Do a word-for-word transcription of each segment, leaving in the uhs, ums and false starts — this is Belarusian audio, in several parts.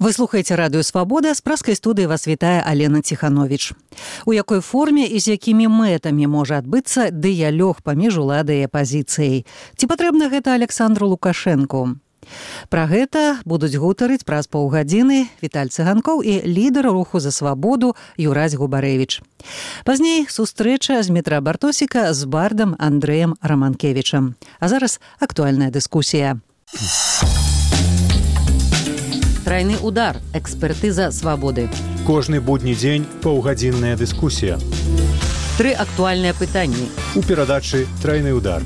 Вы слухаеце радыё Свабода, з праскай студыі вас вітае Алена Ціхановіч. У якой форме і з якімі мэтамі можа адбыцца дыялог паміж уладай і апазіцыяй? Ці патрэбна гэта Александру Лукашэнку? Пра гэта будуць гутарыць праз паўгадзіны Віталь Цыганкоў і лідар руху за свабоду Юрась Губарэвіч. Пазней сустрэча з метра Бартосіка з бардам Андрэем Раманкевічам. А зараз актуальная дыскусія. Трайны удар. Экспертыза свабоды. Кожны будні дзень паўгадзінная дыскусія. Тры актуальныя пытанні. У перадачы «Трайны удар».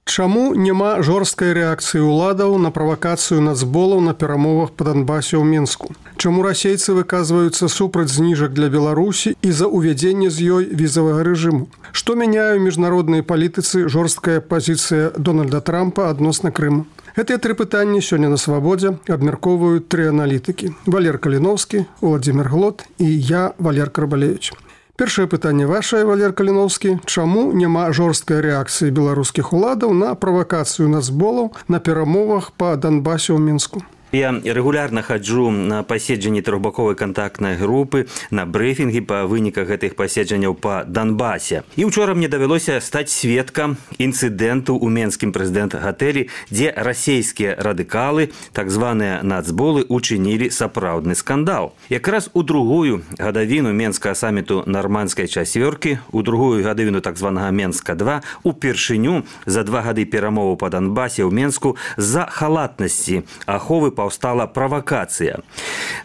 Чаму няма жорсткай рэакцыі ўладаў на правакацыю нацболаў на перамовах па Донбасе ў Мінску? Чаму расейцы выказваюцца супраць зніжак для Беларусі і за ўвядзенне з ёй візавага рэжыму? Што мяняе ў міжнароднай палітыцы жорсткая пазіцыя Дональда Трампа адносна Крыма? Гэтыя тры пытанні сёння на Свабодзе абмяркоўваюць тры аналітыкі. Валер Каліноўскі, Уладзімір Глот і я, Валер Карбалевіч. Першае пытанне вашае, Валер Каліноўскі. Чаму няма жорсткай рэакцыі беларускіх уладаў на правакацыю нацболаў на перамовах па Донбасе ў Мінску? Я регулярно хаджу на паседжанні трохбаковай контактнай групы, на брифінгі па выніках гэтых паседжанняў па Донбасе. І учора мне давялося стаць сведкам інцыдэнту ў Менскім прэзідэнт-гатэлі, дзе расійскія радыкалы, так званыя нацболы, учынілі сапраўдны скандал. Якраз у другую гадавіну Менскага саміту нармандскай чацвёркі, у другую гадавіну так званага Менска два, упершыню за два гады перамоваў па Донбасе ў Менску з-за халатнасці аховы паўстала правакацыя.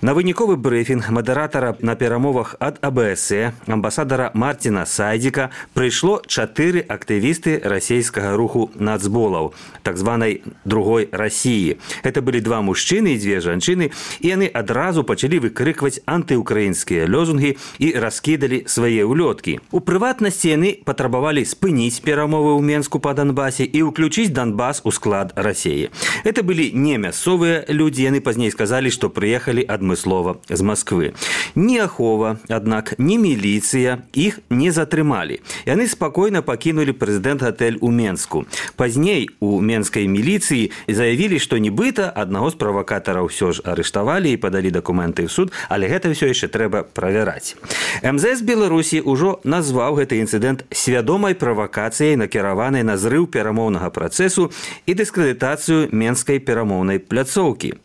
На выніковы брыфінг мадэратара на перамовах ад а бэ эс э, амбасадара Мартина Сайдзіка, прыйшло чатыры актывісты расійскага руху нацболаў, так званай другой Расіі. Гэта былі два мужчыны і дзве жанчыны, і яны адразу пачалі выкрыкваць антыукраінскія лозунгі і раскідалі свае ўлёткі. У прыватнасці яны патрабавалі спыніць перамовы ў Менску па Донбасе і ўключыць Донбас у склад Расіі. Гэта былі не мясцовыя людзі, яны пазней сказалі, што прыехалі адмыслова з Масквы. Ні ахова, аднак, ні міліцыя іх не затрымалі. Яны спакойна пакінулі прэзідэнт-гатэль у Менску. Пазней у менскай міліцыі заявілі, што нібыта аднаго з правакатараў ўсё ж арыштавалі і падалі дакументы ў суд, але гэта ўсё яшчэ трэба правяраць. эм зэ эс Беларусі ўжо назваў гэты інцыдэнт свядомай правакацыяй, накіраванай на зрыў перамоўнага працэсу і дыскрэдытацыю менскай перамоўнай пляцоўкі.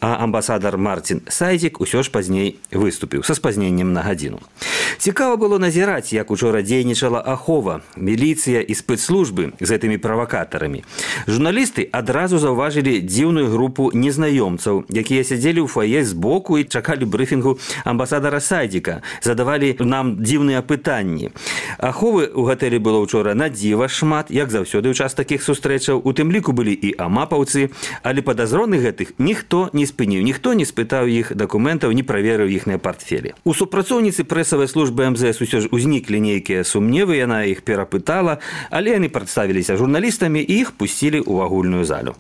А амбасадар Мартин Сайдзік усё ж пазней выступіў са спазненнем на гадзіну. Цікава было назіраць, як учора дзейнічала ахова, міліцыя і спецслужбы з гэтымі правакатарамі. Журналісты адразу заўважылі дзіўную групу незнаёмцаў, якія сядзелі ў фае збоку і чакалі брыфінгу амбасадара Сайдзіка, задавалі нам дзіўныя пытанні. Аховы ў гатэлі было ўчора на дзіва шмат, як заўсёды ў час такіх сустрэчаў, у тым ліку былі і амапаўцы, але падазроных гэтых ніхто не спыніў, ніхто не спытаў іх дакументаў, не праверыў іхныя партфелі. У супрацоўніцы прэсавай службы эм зэ эс усё ж узніклі нейкія сумневы, яна іх перапытала, але яны прадставіліся журналістамі і іх пусцілі ў агульную залю.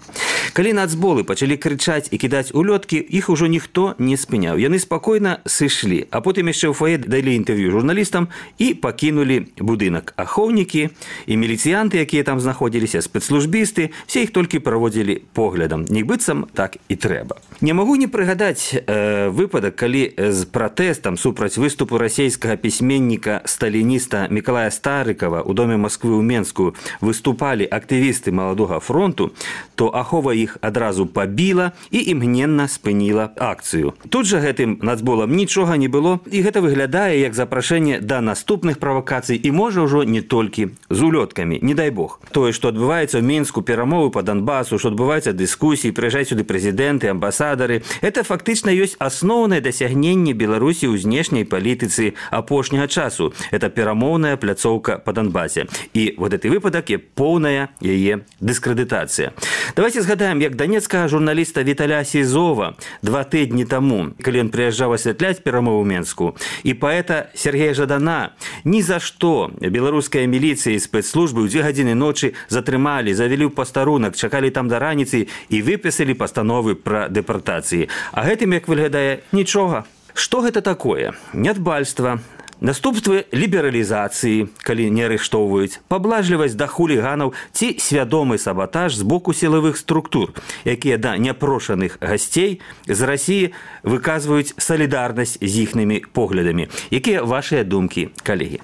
Калі нацболы пачалі крычаць і кідаць улёткі, іх ужо ніхто не спыняў. Яны спакойна сышлі, а потым яшчэ ў фае далі інтэрв'ю журналістам і пакінулі будынак. Ахоўнікі і міліцыянты, якія там знаходзіліся, спецслужбісты, все іх толькі праводзілі поглядам. Нібыццам так і трэба. Не магу не прыгадаць э, выпадак, калі з пратэстам супраць выступу расійскага пісьменніка сталініста Мікалая Старыкава ў доме Масквы ў Менску выступалі актывісты маладога фронту, то ахова іх адразу пабіла і імгненна спыніла акцыю. Тут жа гэтым нацболам нічога не было, і гэта выглядае як запрашэнне да наступных правакацый і можа ўжо не толькі з улёткамі, не дай бог. Тое, што адбываецца ў Мінску, перамовы па Донбасу, што адбываецца дыскусіі, прыязджаюць сюды прэзідэнты, амбасадары, это фактычна ёсць асноўнае дасягненне Беларусі ў знешняй палітыцы апошняга часу. Это перамоўная пляцоўка па Донбасе. І вот гэты выпадак є поўная яе дыскрэдытацыя. Давайте згадаем, як данецкага журналіста Віталя Сізова два тыдні таму, калі ён прыязджаў асвятляць перамову ў Менску, і паэта Сергея Жадана ні за што беларуская міліцыя і спецслужбы ў дзве гадзіны ночы затрымалі, завялі ў пастарунак, чакалі там да раніцы і выпісалі пастановы пра дэпартацыі. А гэтым, як выглядае, нічога. Што гэта такое? Нядбальства, Наступствы лібералізацыі, калі не арыштоўваюць, паблажлівасць да хуліганаў ці свядомы сабатаж з боку сілавых структур, якія да няпрошаных гасцей з Расіі выказваюць салідарнасць з іхнымі поглядамі. Якія вашыя думкі, калегі?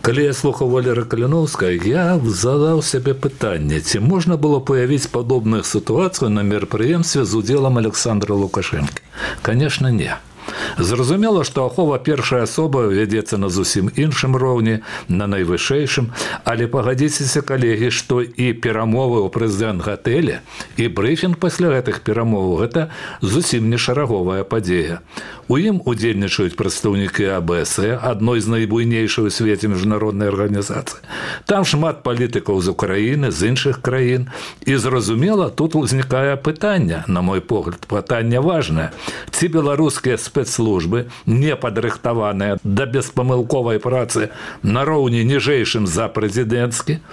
Калі я слухаў Валеры Каліноўскай, я задаў сябе пытанне, ці можна было паявіць падобную сітуацыю на мерапрыемстве з удзелам Александра Лукашэнкі? Конечно, не. Зразумела, што ахова першая асоба вядзецца на зусім іншым роўні, на найвышэйшым, але пагадзіцеся, калегі, што і перамовы ў прэзідэнт-гатэлі, і брыфінг пасля гэтых перамоваў – гэта зусім не шараговая падзея. У ім удзельнічаюць прадстаўнікі А Бэ Эс Э, адной з найбуйнейшых у свеце міжнароднай арганізацыі. Там шмат палітыкаў з Украіны, з іншых краін. І зразумела, тут узнікае пытанне, на мой погляд, пытанне важнае. Ці беларускія спецслужбы, не падрыхтаваныя да беспамылковай працы на роўні ніжэйшым за прэзідэнцкі,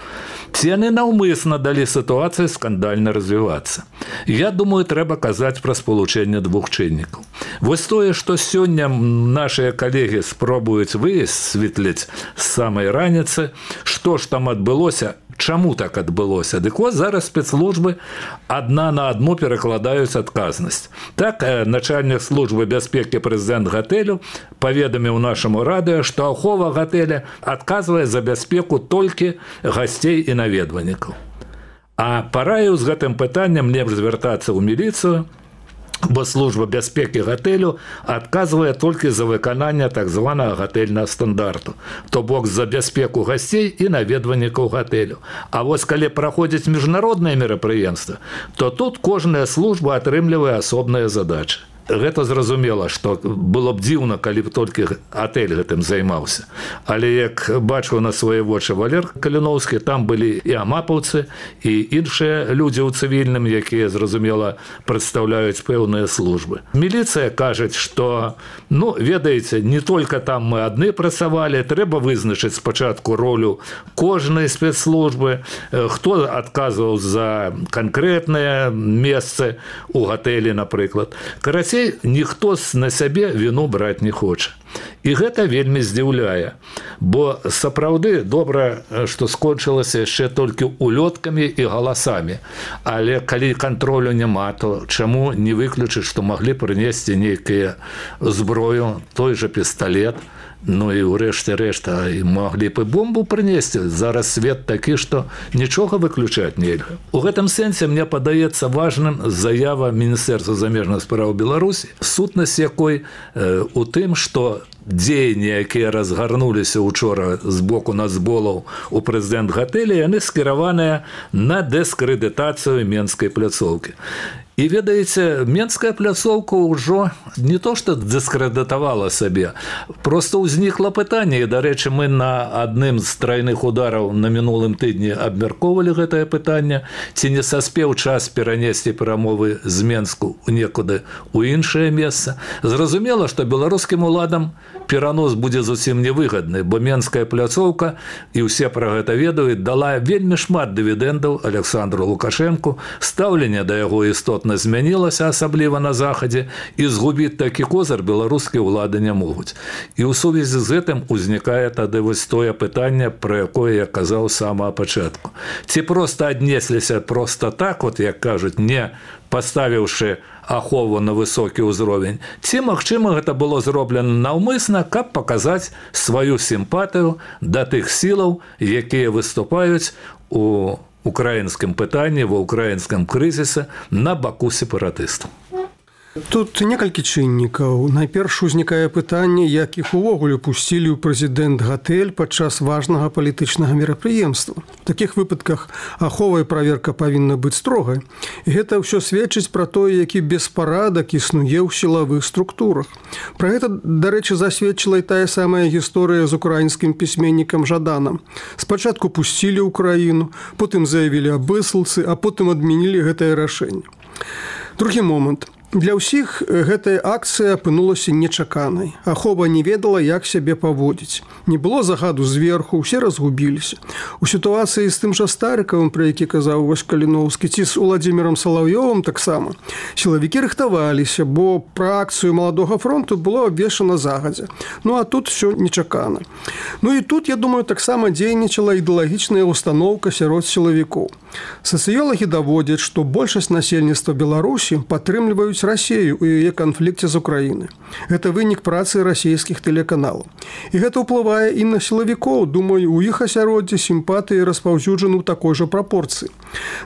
ці яны наўмысна далі сітуацыі скандальна развівацца. Я думаю, трэба казаць пра спалучэнне двух чыннікаў. Вось тое, што сёння нашыя калегі спробуюць высветліць з самай раніцы, што ж там адбылося, чаму так адбылося. Дык вось зараз спецслужбы адна на адну перакладаюць адказнасць. Так, начальнік службы бяспекі прэзідэнт-гатэлю паведаміў нашаму радыё, што ахова гатэля адказвае за бяспеку толькі гасцей і наведвальнікаў. А параіў з гэтым пытаннем лепш звяртацца ў міліцыю, бо служба бяспекі гатэлю адказвае толькі за выкананне так званага гатэльнага стандарту, то бок за бяспеку гасцей і наведвальнікаў гатэлю. А вось калі праходзіць міжнародныя мерапрыемствы, то тут кожная служба атрымлівае асобныя задачы. Гэта зразумела, што было б дзіўна, калі б толькі гатэль гэтым займаўся. Але як бачыў на свае вочы Валер Каліноўскі, там былі і амапаўцы, і іншыя людзі ў цывільным, якія, зразумела, прадстаўляюць пэўныя службы. Міліцыя кажуць, што, ну, ведаеце, не толькі там мы адны працавалі, трэба вызначыць спачатку ролю кожнай спецслужбы, хто адказваў за канкрэтныя месцы ў гатэлі, напрыклад. Карацей, ніхто на сябе віну браць не хоча. І гэта вельмі здзіўляе, бо сапраўды добра, што скончылася яшчэ толькі улёткамі і галасамі. Але калі кантролю няма, то чаму не выключыць, што маглі прынесці нейкія зброю, той жа пісталет, ну і ўрэшце рэшта маглі б і бомбу прынесці. Зараз свет такі, што нічога выключаць нельга. У гэтым сэнсе мне падаецца важным заява Міністэрства замежных спраў Беларусі, сутнасць якой э, у тым, што дзеянні, якія разгарнуліся учора з боку нацболаў у прэзідэнт-гатэлі, яны скіраваныя на дыскрэдытацыю Менскай пляцоўкі. І, ведаеце, Менская пляцоўка ўжо не то, што дыскрэдытавала сабе, проста ўзнікла пытанне, і, дарэчы, мы на адным з трайных удараў на мінулым тыдні абмяркоўвалі гэтае пытанне, ці не саспеў час перанесці перамовы з Менску некуды ў іншае месца. Зразумела, што беларускім уладам перанос будзе зусім невыгадны, бо Менская пляцоўка, і ўсе пра гэта ведаюць, дала вельмі шмат дывідэндаў Александру Лукашэнку, стаўленне да яго істотна змянілася, асабліва на захадзе, і згубіць такі козыр беларускія ўлады не могуць. І ў сувязі з гэтым узнікае тады вось тое пытанне, пра якое я казаў з самага пачатку. Ці проста аднесліся проста так, от як кажуць, не паставіўшы ахову на высокі ўзровень, ці, магчыма, гэта было зроблена наўмысна, каб паказаць сваю сімпатыю да тых сілаў, якія выступаюць у украінскім пытанні, ва ўкраінскім крызісе на баку сепаратыстаў. Тут некалькі чыннікаў. Найперш узнікае пытанне, як іх увогуле пусцілі ў прэзідэнт-гатэль падчас важнага палітычнага мерапрыемства. В такіх выпадках ахова і праверка павінна быць строгай. І гэта ўсё сведчыць пра тое, які беспарадак існуе ў сілавых структурах. Пра гэта, дарэчы, засведчыла і тая самая гісторыя з украінскім пісьменнікам Жаданам. Спачатку пусцілі ўкраіну, потым заявілі аб высылцы, а потым адмянілі гэтае рашэнне. Другі момант. Для ўсіх гэтая акцыя апынулася нечаканай. Ахова не ведала, як сябе паводзіць. Не было загаду зверху, усе разгубіліся. У сітуацыі з тым жа Старыкавым, пра які казаў вось Каліноўскі, ці з Уладзімірам Салаўёвым таксама, сілавікі рыхтаваліся, бо пра акцыю Маладога фронту было абвешчана загадзя. Ну а тут все нечакана. Ну і тут, я думаю, таксама дзейнічала ідэалагічная установка сярод сілавікоў. Сацыёлагі даводзяць, што большасць насельніцтва Беларусі падтрымліваюць Расію ў яе канфлікце з Украінай. Гэта вынік працы расійскіх тэлеканалаў. І гэта ўплывае і на сілавікоў. Думаю, у іх асяроддзе сімпатыі распаўсюджаны ў такой жа прапорцыі.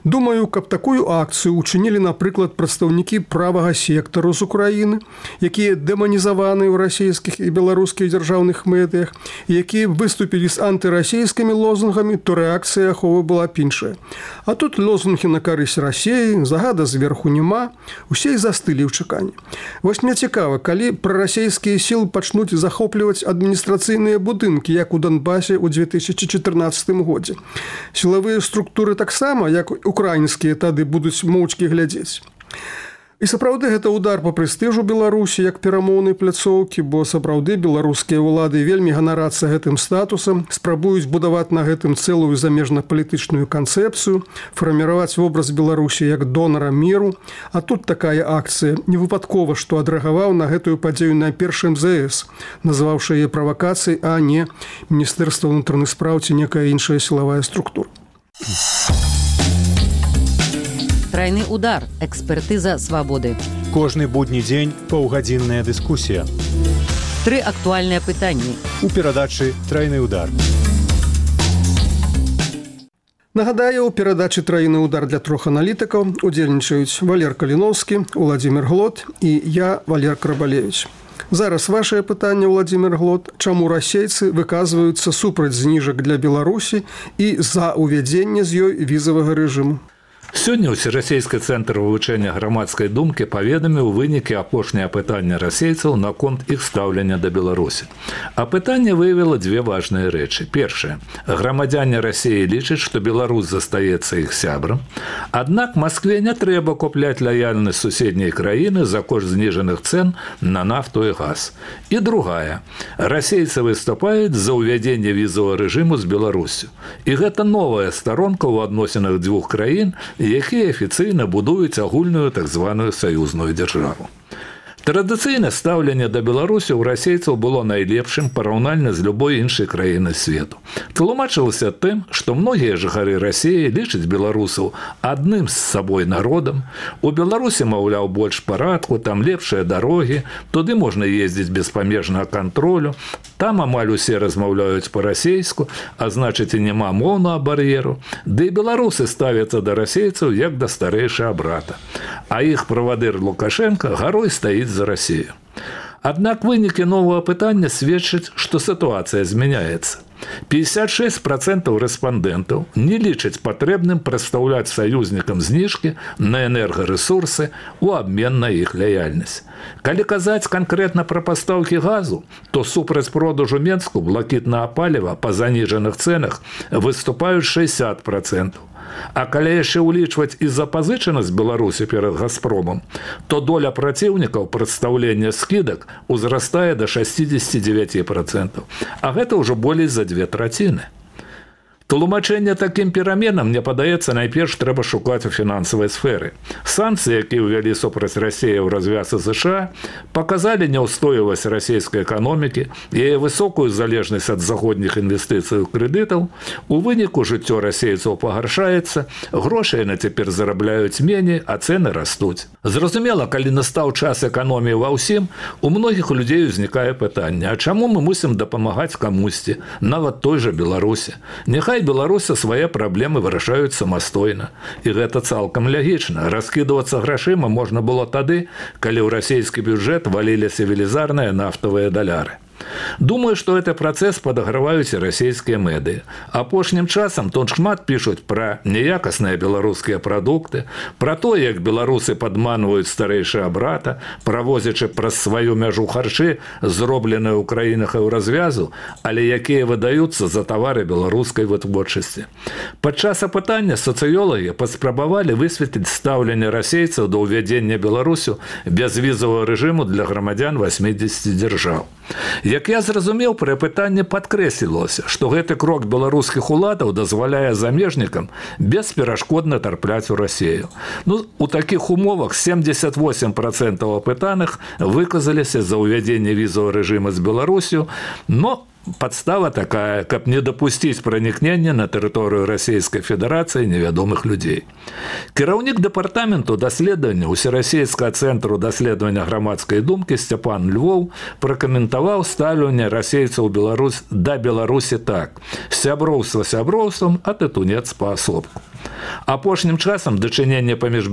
Думаю, каб такую акцыю учынілі, напрыклад, прадстаўнікі правага сектару з Украіны, якія дэманізаваны ў расійскіх і беларускіх дзяржаўных медыях, якія выступілі з антырасійскімі лозунгамі, то рэакцыя Аховы была б іншая. А тут лозунгі на карысць Расіі, загада зверху няма, усе і застылі ў чаканні. Вось мне цікава, калі прарасійскія сілы пачнуць захопліваць адміністрацыйныя будынкі, як у Донбасе ў две тысячы чатырнаццатым годзе. Сілавыя структуры таксама, як украінскія, тады будуць моўчкі глядзець. І сапраўды гэта удар па прэстыжу Беларусі як перамоўнай пляцоўкі, бо сапраўды беларускія ўлады вельмі ганарацца гэтым статусам, спрабуюць будаваць на гэтым цэлую замежна-палітычную канцэпцыю, фарміраваць вобраз Беларусі як донара міру. А тут такая акцыя. Не выпадкова, што адрэагаваў на гэтую падзею найперш эм зэ эс, назваўшы яе правакацыяй, а не Міністэрства ўнутраных спраў ці некая іншая сілавая структура. Трайны удар. Экспертыза свабоды. Кожны будні дзень паўгадзінная дыскусія. Тры актуальныя пытанні. У перадачы «Трайны удар». Нагадаю, у перадачы «Трайны удар» для трох аналітыкаў удзельнічаюць Валер Каліноўскі, Уладзімір Глот і я, Валер Крабалевіч. Зараз вашае пытанне, Уладзімір Глот. Чаму расейцы выказваюцца супраць зніжак для Беларусі і за ўвядзенне з ёй візавага рэжыму? Сёння ўсерасійскі цэнтр вывучэння грамадскай думкі паведаміў вынікі апошняе апытання расейцаў наконт іх стаўлення да Беларусі. Апытанне выявіла дзве важныя рэчы. Першае. Грамадзяне Расіі лічаць, што Беларусь застаецца іх сябрам. Аднак Маскве не трэба купляць лаяльнасць суседняй краіны за кошт зніжаных цэн на нафту і газ. І другая. Расейцы выступаюць за ўвядзенне візавага рэжыму з Беларусю. І гэта новая старонка ў адносінах дзвюх краін, якія афіцыйна будуюць агульную так званую саюзную дзяржаву. Традыцыйнае стаўленне да Беларусі ў расейцаў было найлепшым параўнальна з любой іншай краіны свету. Тлумачылася тым, што многія жыхары Расіі лічаць беларусаў адным з сабой народам. У Беларусі, маўляў, больш парадку, там лепшыя дарогі, туды можна ездзіць без памежнага кантролю, там амаль усе размаўляюць па-расейску, а значыць і няма моўнага бар'еру. Ды і беларусы ставяцца да расейцаў як да старэйшага брата. А іх правадыр Лукашенко гарой стаіць за Расію. Аднак вынікі новага пытання сведчаць, што сітуацыя змяняецца. пятьдесят шесть процентов рэспандэнтаў не лічаць патрэбным прадстаўляць саюзнікам зніжкі на энергарэсурсы ў абмен на іх лаяльнасць. Калі казаць канкрэтна пра пастаўкі газу, то супраць продажу Менску блакітнага паліва па заніжаных цэнах выступаюць шестьдесят процентов. А калі яшчэ ўлічваць і запазычанасць Беларусі перад Газпромам, то доля праціўнікаў прадстаўлення скідак узрастае да шестьдесят девять процентов, а гэта ўжо болей за две траціны. Тлумачэнне такім пераменам, мне падаецца, найперш трэба шукаць у фінансавай сферы. Санкцыі, якія ўвялі супраць Расіі ў развяз ЗША, паказалі няўстойлівасць расійскай эканомікі, яе высокую залежнасць ад заходніх інвестыцый і крэдытаў. У выніку жыццё расейцаў пагаршаецца, грошай яны цяпер зарабляюць меней, а цэны растуць. Зразумела, калі настаў час эканоміі ва ўсім, у многіх людзей узнікае пытанне: а чаму мы мусім дапамагаць камусьці, нават той жа Беларусі? Няхай Беларуся свае праблемы вырашаюць самастойна. І гэта цалкам лягічна. Раскідвацца грашыма можна было тады, калі ў расійскі бюджэт валіліся велізарныя нафтавыя даляры. Думаю, што гэты працэс падаграваюць і расійскія медыі. Апошнім часам тут шмат пішуць пра неякасныя беларускія прадукты, пра то, як беларусы падманваюць старэйшага брата, правозячы праз сваю мяжу харчы, зробленыя ў краінах і ў развязу, але якія выдаюцца за тавары беларускай вытворчасці. Падчас апытання сацыёлагі паспрабавалі высветліць стаўленне расейцаў да ўвядзення Беларусю бязвізавага рэжыму для грамадзян васьмідзесяці дзяржаў. Як я зразумеў, пры апытанні падкрэслілася, што гэты крок беларускіх уладаў дазваляе замежнікам бесперашкодна тарпляць у Расею. Ну, у такіх умовах семьдесят восемь процентов апытаных выказаліся за ўвядзенне візавага рэжыма з Беларусю, но подстава такая, каб не дапусціць пранікнення на тэрыторыю Расійскай Федэрацыі невядомых людзей. Кіраўнік дэпартаменту даследавання Усерасійскага цэнтру даследавання грамадскай думкі Сцяпан Львоў пракаментаваў стаўленне расейцаў Беларусь да Беларусі так: сяброўства сяброўствам, а тытунец паасобку. Апошнім часам дачыненне паміж